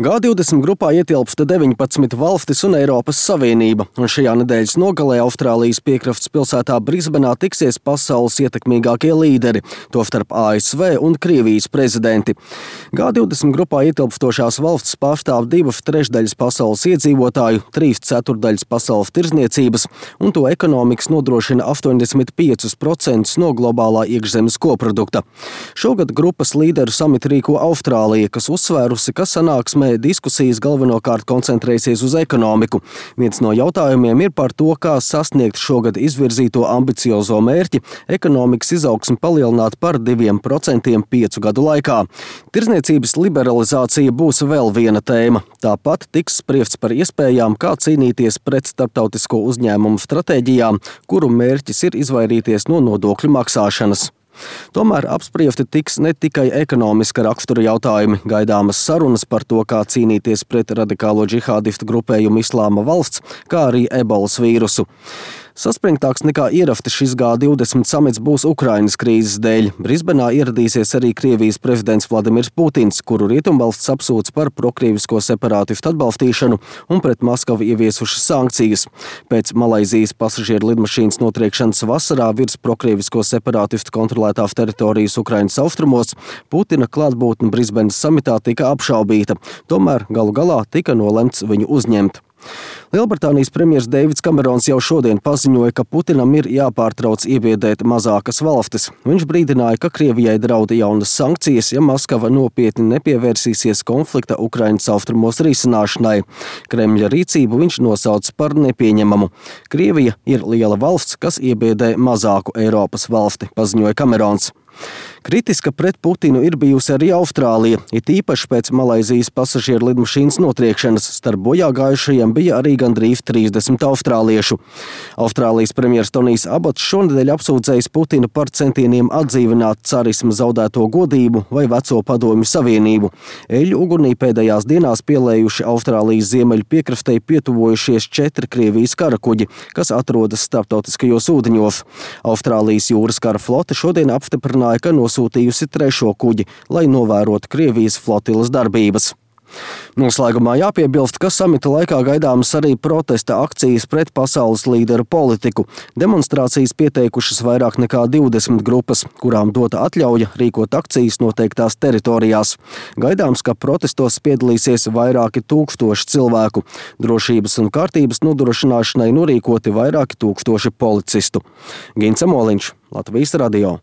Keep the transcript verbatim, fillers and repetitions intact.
G divdesmit grupā ietilpst deviņpadsmit valstis un Eiropas Savienība, un šajā nedēļas nogalē Austrālijas piekrastes pilsētā Brisbenā tiksies pasaules ietekmīgākie līderi, tostarp A S V un Krievijas prezidenti. G divdesmit grupā ietilpstošās valstis pārstāv divas trešdaļas pasaules iedzīvotāju, trīs ceturtdaļas pasaules tirdzniecības, un to ekonomikas nodrošina astoņdesmit piecus procentus no globālā iekšzemes koprodukta. Šogad grupas līderu samitu rīko Austrālija, kas uzsvērusi, ka sanāksmē diskusijas galvenokārt koncentrēsies uz ekonomiku. Viens no jautājumiem ir par to, kā sasniegt šogad izvirzīto ambiciozo mērķi ekonomikas izaugsmi palielināt par diviem procentiem piecu gadu laikā. Tirdzniecības liberalizācija būs vēl viena tēma. Tāpat tiks spriests par iespējām, kā cīnīties pret starptautisko uzņēmumu stratēģijām, kuru mērķis ir izvairīties no nodokļu maksāšanas. Tomēr apspriesti tiks ne tikai ekonomiska rakstura jautājumi, gaidāmas sarunas par to, kā cīnīties pret radikālo džihādistu grupējumu Islāma valsts, kā arī ebolas vīrusu. Saspringtāks nekā ierasti šis G divdesmit samits būs Ukrainas krīzes dēļ. Brisbenā ieradīsies arī Krievijas prezidents Vladimirs Putins, kuru rietumvalsts apsūdz par prokrievisko separātistu atbalstīšanu un pret Maskavu ieviesušas sankcijas. Pēc Malaizijas pasažieru lidmašīnas notriekšanas vasarā virs prokrievisko separātistu kontrolētās teritorijas Ukrainas austrumos Putina klātbūtne Brisbenas samitā tika apšaubīta, tomēr galu galā tika nolemts viņu uzņemt. Lielbritānijas premjers Deivids Kamerons jau šodien paziņoja, ka Putinam ir jāpārtrauc iebiedēt mazākas valstis. Viņš brīdināja, ka Krievijai drauda jaunas sankcijas, ja Maskava nopietni nepievērsīsies konflikta Ukrainas austrumos risināšanai. Kremļa rīcību viņš nosauc par nepieņemamu. Krievija ir liela valsts, kas iebiedē mazāku Eiropas valsti, paziņoja Kamerons. Kritiska pret Putinu ir bijusi arī Austrālija, it īpaši pēc Malaizijas pasažieru lidmašīnas notriekšanas. Starp bojā gājušajiem bija arī gandrīz trīsdesmit austrāliešu. Austrālijas premjers Tonijs Abots šonedēļ apsūdzējis Putinu par centieniem atdzīvināt carisma zaudēto godību vai veco padomju savienību. Eļļu ugunī pēdējās dienās pielējuši Austrālijas ziemeļu piekrastei pietuvojušies četri Krievijas karakuģi, kas atrodas starptautiskajos ūdeņos. Austrālijas jūras kara flote šodien apstiprināja, ka nosūtījusi trešo kuģi, lai novērotu Krievijas flotiles darbības. Noslēgumā jāpiebilst, ka samita laikā gaidāmas arī protesta akcijas pret pasaules līderu politiku. Demonstrācijas pieteikušas vairāk nekā divdesmit grupas, kurām dota atļauja rīkot akcijas noteiktās teritorijās. Gaidāms, ka protestos piedalīsies vairāki tūkstoši cilvēku. Drošības un kārtības nodrošināšanai norīkoti vairāki tūkstoši policistu. Gints Amoliņš, Latvijas radio.